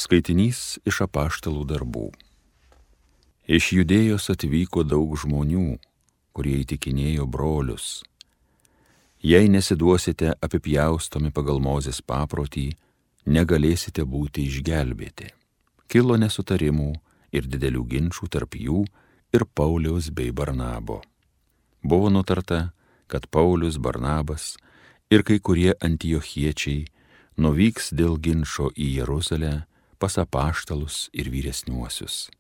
Skaitinys iš apaštalų darbų. Iš Judėjos atvyko daug žmonių, kurie įtikinėjo brolius. Jei nesiduosite apipjaustomi pagal Mozės paprotį, negalėsite būti išgelbėti. Kilo nesutarimų ir didelių ginčų tarp jų ir Pauliaus bei Barnabo. Buvo nutarta, kad Paulius, Barnabas ir kai kurie antiochiečiai nuvyks dėl ginčo į Jeruzalę pas apaštalus ir vyresniuosius.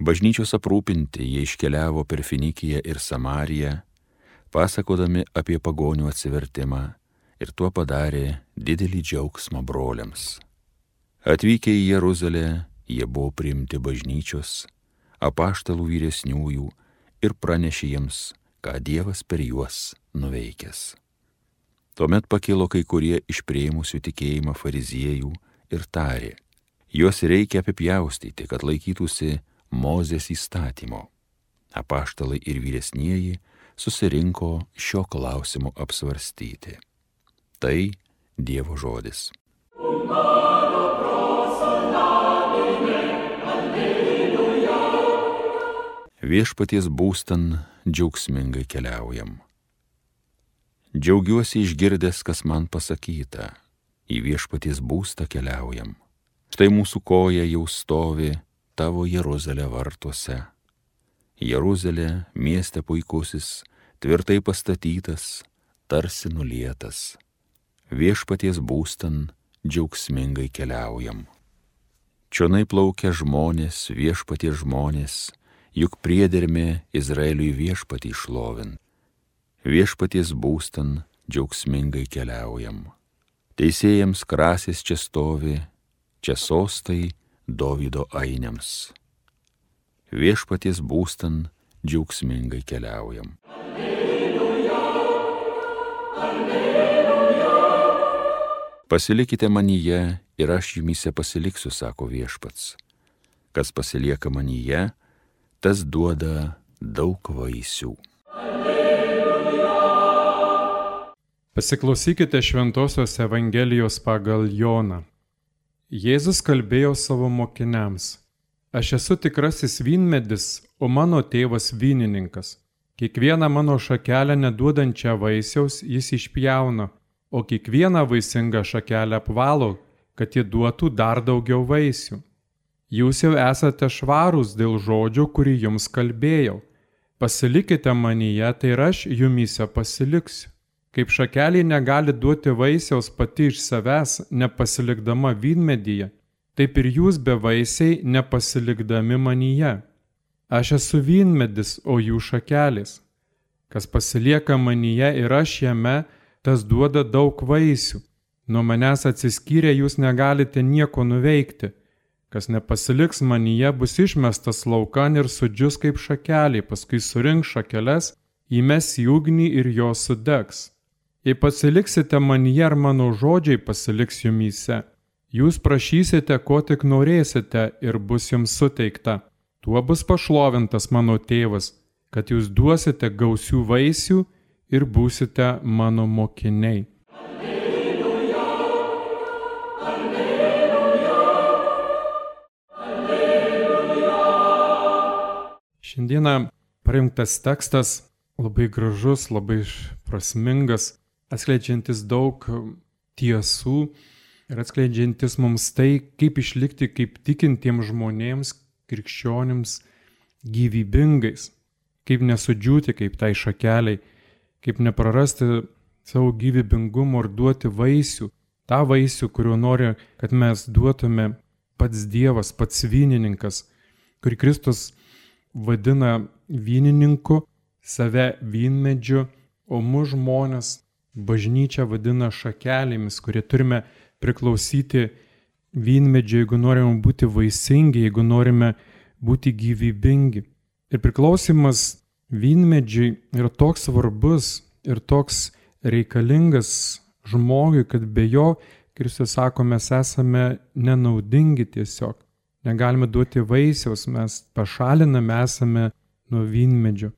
Bažnyčios aprūpinti jie iškeliavo per Finikiją ir Samariją, pasakodami apie pagonių atsivertimą, ir tuo padarė didelį džiaugsmą broliams. Atvykę į Jeruzalę, jie buvo priimti bažnyčios, apaštalų vyresniųjų ir pranešė jiems, ką Dievas per juos nuveikęs. Tuomet pakilo kai kurie iš priėmusių tikėjimą fariziejų ir tarė: juos reikia apipjaustyti, kad laikytųsi Mozės įstatymo. Apaštalai ir vyresnieji susirinko šio klausimo apsvarstyti. Tai Dievo žodis. Viešpaties būstan džiaugsmingai keliaujam. Džiaugiuosi išgirdęs, kas man pasakyta, į viešpaties būstą keliaujam. Štai mūsų koja jau stovi tavo Jeruzalė vartuose. Jeruzalė, mieste puikusis, tvirtai pastatytas, tarsi nulietas. Viešpaties būstan džiaugsmingai keliaujam. Čionai plaukia žmonės, viešpaties žmonės, juk priedermė Izraeliui viešpatį šlovint. Viešpaties būstan džiaugsmingai keliaujam. Teisėjams krasės čia stovi, čia sostai Dovydo ainiams. Viešpaties būstan džiaugsmingai keliaujam. Alleluja, alleluja. Pasilikite manyje ir aš jumyse pasiliksiu, sako viešpats. Kas pasilieka manyje, tas duoda daug vaisių. Pasiklausykite Šventosios Evangelijos pagal Joną. Jėzus kalbėjo savo mokiniams: aš esu tikrasis vynmedis, o mano tėvas vynininkas. Kiekvieną mano šakelę neduodančią vaisiaus jis išpjauna, o kiekvieną vaisingą šakelę apvalo, kad ji duotų dar daugiau vaisių. Jūs jau esate švarūs dėl žodžio, kurį jums kalbėjau. Pasilikite manyje, tai ir aš jumyse pasiliksiu. Kaip šakelė negali duoti vaisiaus pati iš savęs, nepasilikdama vynmedyje, taip ir jūs bevaisiai nepasilikdami manyje. Aš esu vynmedis, o jų šakelės. Kas pasilieka manyje ir aš jame, tas duoda daug vaisių. Nuo manęs atsiskyrę jūs negalite nieko nuveikti. Kas nepasiliks manyje, bus išmestas laukan ir sudžius kaip šakelė, paskui surinks šakeles, įmes į ugnį ir jos sudegs. Jei pasiliksite manyje ir mano žodžiai pasiliks jumyse, jūs prašysite, ko tik norėsite ir bus jums suteikta. Tuo bus pašlovintas mano tėvas, kad jūs duosite gausių vaisių ir būsite mano mokiniai. Alleluja, alleluja, alleluja. Šiandieną parinktas tekstas labai gražus, labai prasmingas, atskleidžiantis daug tiesų ir atskleidžiantis mums tai, kaip išlikti kaip tikintiems žmonėms, krikščionims gyvybingais, kaip nesudžiūti kaip tai šakeliai, kaip neprarasti savo gyvybingumo ir duoti vaisių, tą vaisių, kuriuo nori, kad mes duotume pats Dievas, pats vynininkas, kurį Kristus vadina vynininku, save vynmedžiu, o mus žmonės bažnyčia vadina šakelėmis, kurie turime priklausyti vynmedžiui, jeigu norime būti vaisingi, jeigu norime būti gyvybingi. Ir priklausimas vynmedžiui yra toks svarbus ir toks reikalingas žmogui, kad be jo, Kristus sako, mes esame nenaudingi tiesiog. Negalime duoti vaisiaus, mes pašalinami esame nuo vynmedžio.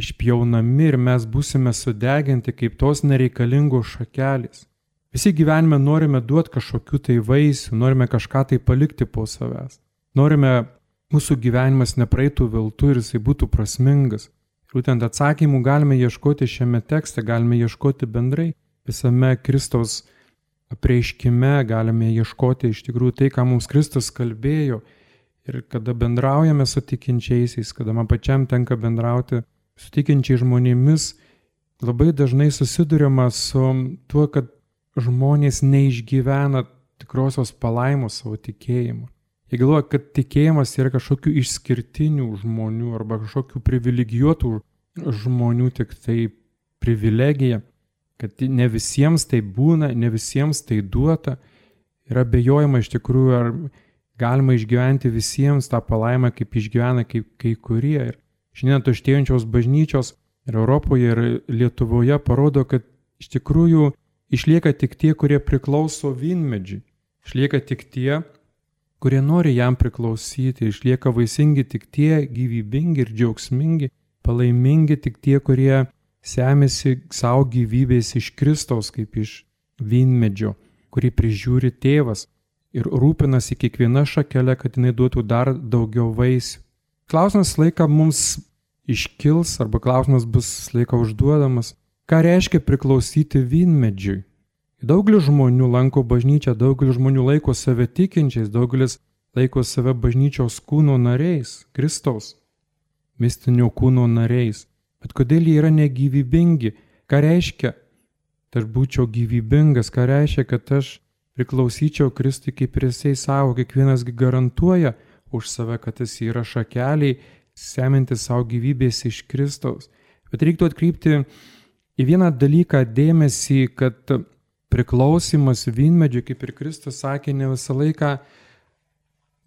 Išpjaunami ir mes būsime sudeginti kaip tos nereikalingos šakelės. Visi gyvenime norime duoti kažkokių tai vaisių, norime kažką tai palikti po savęs. Norime, mūsų gyvenimas nepraeitų veltui ir jisai būtų prasmingas. Ir būtent atsakymų galime ieškoti šiame tekste, galime ieškoti bendrai visame Kristaus apreiškime, galime ieškoti iš tikrųjų tai, ką mums Kristus kalbėjo. Ir kada bendraujame su tikinčiaisiais, kada man pačiam tenka bendrauti su tikinčiais žmonėmis, labai dažnai susiduriama su tuo, kad žmonės neišgyvena tikrosios palaimos savo tikėjimu. Jie galvoja, kad tikėjimas yra kažkokių išskirtinių žmonių arba kažkokių privilegijuotų žmonių tik tai privilegija, kad ne visiems tai būna, ne visiems tai duota. Yra abejojama iš tikrųjų, ar galima išgyventi visiems tą palaimą, kaip išgyvena kai kurie. Ir šiandien tuštėjančios bažnyčios ir Europoje, ir Lietuvoje parodo, kad iš tikrųjų išlieka tik tie, kurie priklauso vynmedžiui. Išlieka tik tie, kurie nori jam priklausyti. Išlieka vaisingi tik tie, gyvybingi ir džiaugsmingi, palaimingi tik tie, kurie semėsi savo gyvybės iš Kristaus, kaip iš vynmedžio, kurį prižiūri tėvas ir rūpinasi kiekviena šakelė, kad jinai duotų dar daugiau vaisių. Klausimas laiką mums iškils, arba klausimas bus laiką užduodamas. Ką reiškia priklausyti vynmedžiui? Daugelis žmonių lanko bažnyčią, daugelis žmonių laiko save tikinčiais, daugelis laiko save bažnyčios kūno nariais, Kristaus mistinio kūno nariais. Bet kodėl jie yra negyvybingi? Ką reiškia, kad aš būčiau gyvybingas? Ką reiškia, kad aš priklausyčiau Kristui kaip ir jisai savo? Kiekvienas garantuoja už save, kad jis yra šakeliai, semintis savo gyvybės iš Kristaus. Bet reiktų atkreipti į vieną dalyką dėmesį, kad priklausimas vynmedžiui, kaip ir Kristus sakė, ne visą laiką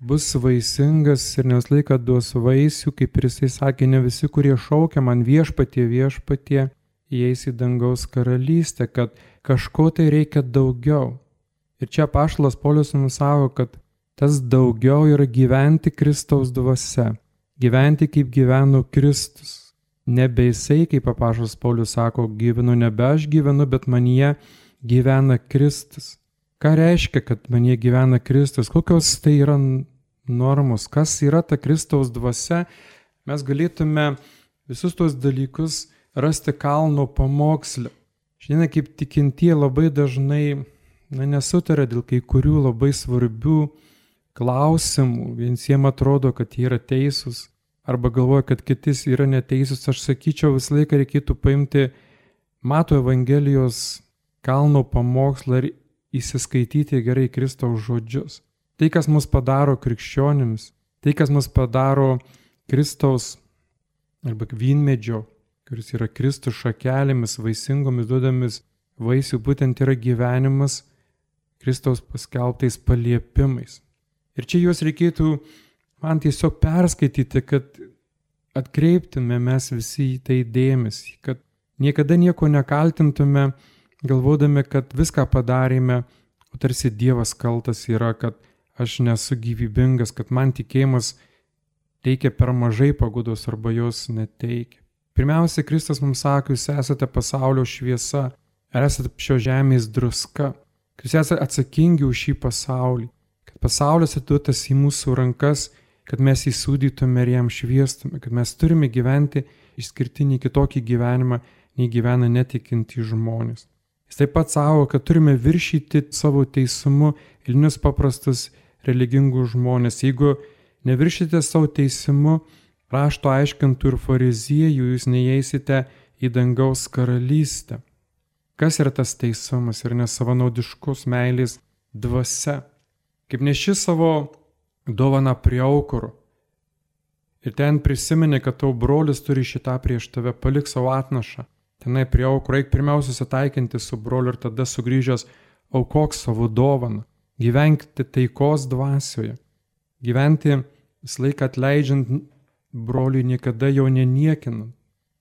bus vaisingas ir ne visą laiką duos vaisių, kaip ir jisai sakė, ne visi, kurie šaukia man viešpatie, viešpatie, įeis į dangaus karalystę, kad kažko tai reikia daugiau. Ir čia apaštalas Paulius mums sako, kad tas daugiau yra gyventi Kristaus dvasia, gyventi kaip gyveno Kristus. Nebe jisai, kaip apaštalas Paulius sako, gyvenu nebe aš gyvenu, bet manyje gyvena Kristus. Ką reiškia, kad manyje gyvena Kristus? Kokios tai yra normos? Kas yra ta Kristaus dvasia? Mes galėtume visus tos dalykus rasti kalno pamoksle. Šiandien kaip tikintieji labai dažnai nesutarė dėl kai kurių labai svarbių klausimų. Viensiems atrodo, kad jie yra teisūs, arba galvoja, kad kitis yra neteisūs. Aš sakyčiau, visą laiką reikėtų paimti Mato Evangelijos kalno pamokslą ir įsiskaityti gerai Kristaus žodžius. Tai, kas mus padaro krikščionims, tai, kas mus padaro Kristaus arba vynmedžio, kuris yra Kristus šakelėmis, vaisingomis, duodamis vaisių, būtent yra gyvenimas Kristaus paskelbtais paliepimais. Ir čia juos reikėtų man tiesiog perskaityti, kad atkreiptume mes visi į tai dėmesį, kad niekada nieko nekaltintume, galvodami, kad viską padarėme, o tarsi Dievas kaltas yra, kad aš nesu gyvybingas, kad man tikėjimas teikia per mažai paguodos arba jos neteikia. Pirmiausia, Kristus mums sako, jūs esate pasaulio šviesa, esate šio žemės druska, kad jūs esate atsakingi už šį pasaulį, kad pasaulis atiduotas į mūsų rankas, kad mes jį sūdytume ir jam šviestume, kad mes turime gyventi išskirtinį kitokį gyvenimą, nei gyvena netikintys žmonės. Jis taip pat sako, kad turime viršyti savo teisumu eilinius paprastus religingus žmonės. Jeigu neviršite savo teisumu rašto aiškintų ir fariziejų, jūs neįeisite į dangaus karalystę. Kas yra tas teisumas ir nesavanaudiškos meilės dvasia? Kaip neši savo dovaną prie aukuro ir ten prisimeni, kad tavo brolis turi šitą prieš tave, palik savo atnašą. Tenai prie aukuro reik pirmiausia susitaikinti su broliu ir tada sugrįžęs aukok savo dovaną. Gyvenkite taikos dvasioje. Gyventi visą laiką atleidžiant broliui, niekada jo neniekinant.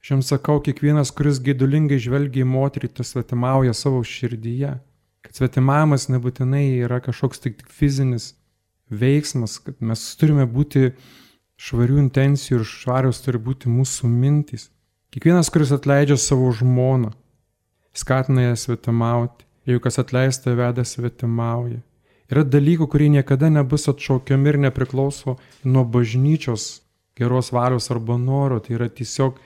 Aš jums sakau, kiekvienas, kuris geidulingai žvelgia į moterį, tas svetimauja savo širdyje. Kad svetimavimas nebūtinai yra kažkoks tik fizinis veiksmas, kad mes turime būti švarių intencijų ir švarios turi būti mūsų mintys. Kiekvienas, kuris atleidžia savo žmoną, skatina ją svetimauti. jeigu kas atleista veda svetimauja. Yra dalykų, kurie niekada nebus atšaukiami ir nepriklauso nuo bažnyčios geros valios arba noro. Tai yra tiesiog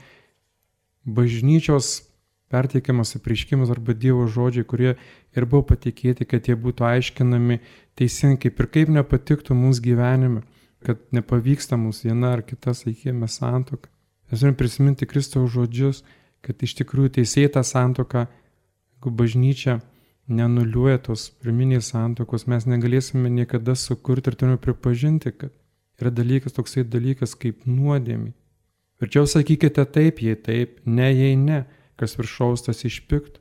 bažnyčios perteikiamas apreiškimas arba Dievo žodžiai, kurie ir buvo patikėti, kad jie būtų aiškinami teisingai, kaip ir kaip nepatiktų mums gyvenime, kad nepavyksta mums viena ar kita, sakykime, santuoka. Mes turime prisiminti Kristaus žodžius, kad iš tikrųjų teisėta santuoka, jeigu bažnyčia nenuliuoja tos pirminės santuokos, mes negalėsime niekada sukurti ir turime pripažinti, kad yra toksai dalykas kaip nuodėmė. Verčiau sakykite taip, jei taip, ne, jei ne, kas viršaus tas išpiktų.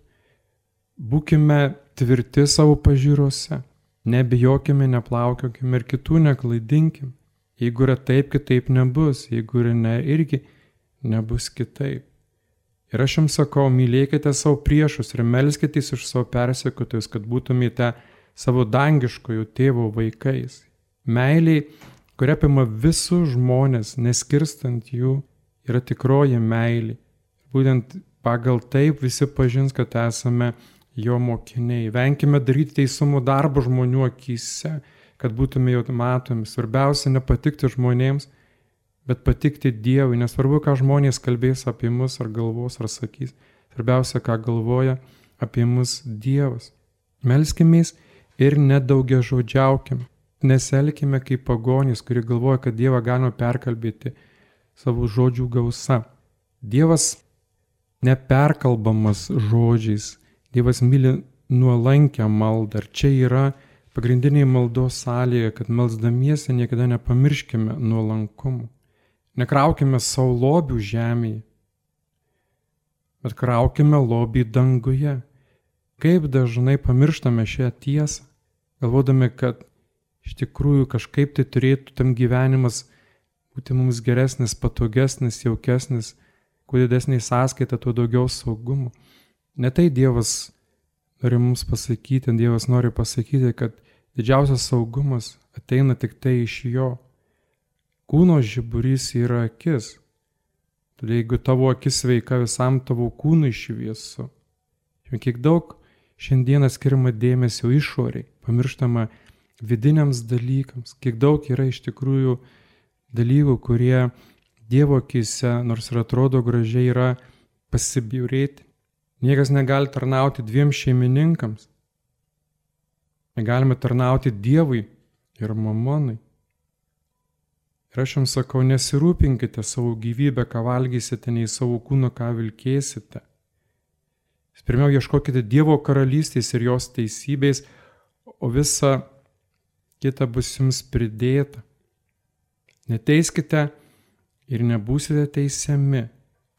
Būkime tvirti savo pažiūrose, nebijokime, neplaukiokime ir kitų neklaidinkime. Jeigu yra taip, kitaip nebus, jeigu yra ne, irgi nebus kitaip. Ir aš jums sakau, mylėkite savo priešus ir melskitės už savo persekiotojus, kad būtumėte savo dangiškojo tėvo vaikais. Meiliai, kuria apima visus žmonės, neskirstant jų, yra tikroji meilė. Būtent pagal taip visi pažins, kad esame jo mokiniai. Venkime daryti teisumo darbą žmonių akyse, kad būtume jau matomi. Svarbiausia nepatikti žmonėms, bet patikti Dievui. Nesvarbu, ką žmonės kalbės apie mus ar galvos ar sakys. Svarbiausia, ką galvoja apie mus Dievas. Melskimės ir nedaugiažodžiaukime. Neselkime kaip pagonys, kurie galvoja, kad Dievą galima perkalbėti savo žodžių gausa. Dievas neperkalbamas žodžiais. Dievas myli nuolankę maldą. Ir čia yra pagrindiniai maldos sąlyga, kad melsdamiesi niekada nepamirškime nuolankumo. Nekraukime savo lobių žemėje, bet kraukime lobį danguje. Kaip dažnai pamirštame šią tiesą, galvodami, kad iš tikrųjų kažkaip tai turėtų tam gyvenimas būti mums geresnis, patogesnis, jaukesnis, kuo didesnė sąskaita, tuo daugiau saugumo. Ne tai Dievas nori mums pasakyti, Dievas nori pasakyti, kad didžiausias saugumas ateina tik tai iš jo. Kūno žiburys yra akis. Todėl jeigu tavo akis sveika, visam tavo kūnui šviesu. Kiek daug šiandieną skiriama dėmesio išoriai, pamirštama vidiniams dalykams. Kiek daug yra iš tikrųjų dalykų, kurie Dievo akise, nors ir atrodo gražiai, yra pasibjaurėti. Niekas negali tarnauti dviem šeimininkams. Negalime tarnauti Dievui ir mamonai. Ir aš jums sakau, nesirūpinkite savo gyvybę, ką valgysite, nei savo kūną, ką vilkėsite. Pirmiau ieškokite Dievo karalystės ir jos teisybės, o visa kita bus jums pridėta. Neteiskite ir nebūsite teisiami.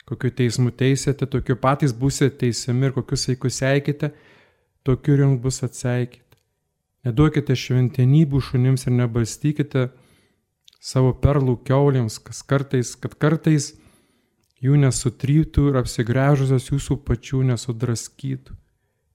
Kokiu teismu teisėte, tokiu patys būsite teisiami ir kokius saikus seikite, tokiu jums bus atseikite. Neduokite šventenybių šunims ir nebalstykite savo perlų kiaulėms, kad kartais jų nesutrytų ir apsigręžusios jūsų pačių nesudraskytų.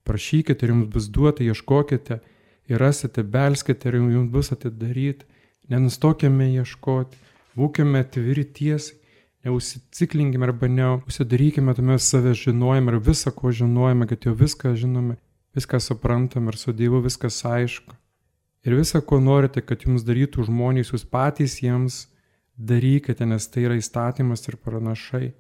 Prašykite ir jums bus duota, ieškokite ir rasite, belskite ir jums bus atidaryti. Nenustokime ieškoti, būkime atviri tiesai, neužsiciklinkime arba neužsidarykime tame save žinojime ir visą, ko žinojame, kad jau viską žinome, viską suprantame ir su Dievu viskas aišku. Ir visą, ko norite, kad jums darytų žmonės, jūs patys jiems darykite, nes tai yra įstatymas ir pranašai.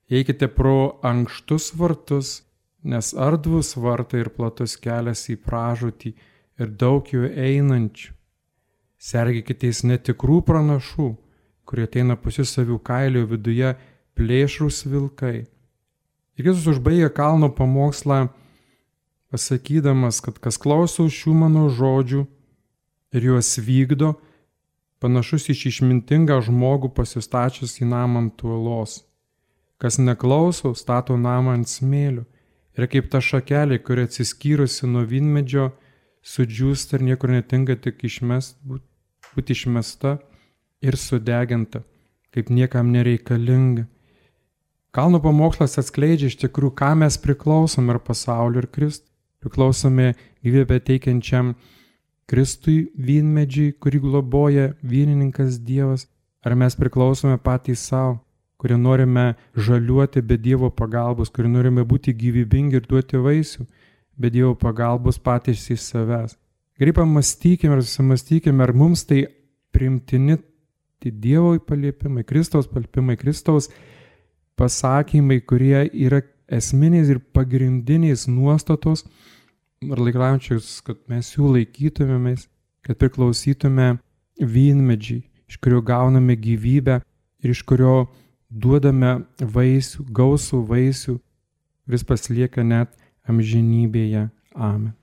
Eikite pro ankštus vartus, nes ardvus vartai ir platus kelias į pražūtį ir daug jų einančių. Sergėkitės netikrų pranašų, kurie ateina pusisavių kailio viduje plėšrūs vilkai. Ir Jėzus užbaigė kalno pamokslą pasakydamas, kad kas klauso šių mano žodžių ir juos vykdo, panašus iš išmintingą žmogų pasistačius į namą ant uolos. Kas neklauso, stato namą ant smėlio. Ir kaip ta šakelė, kuri atsiskyrusi nuo vynmedžio, sudžiūsta ir niekur netinka tik būti išmesta ir sudeginta, kaip niekam nereikalinga. Kalno pamokslas atskleidžia iš tikrųjų, ką mes priklausome ir pasauliu ir Kristui. Priklausome gyvybę teikiančiam Kristui vynmedžiui, kurį globoja vynininkas Dievas, ar mes priklausome patys savo, kurie norime žaliuoti be Dievo pagalbos, kurie norime būti gyvybingi ir duoti vaisių be Dievo pagalbos patys iš savęs. Gerai pamastykime ir susimastykime, ar mums tai priimtini tai Dievo paliepimai, Kristaus paliepimai, Kristaus pasakymai, kurie yra esminiais ir pagrindiniais nuostatos, ar reikalaujančius, kad mes jų laikytumėmės, kad priklausytume vynmedžiai, iš kurio gauname gyvybę ir iš kurio duodame vaisių, gausų vaisių, kuris pasilieka net amžinybėje. Amen.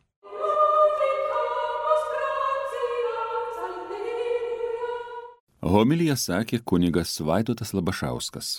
Homiliją sakė kunigas Vaidotas Labašauskas.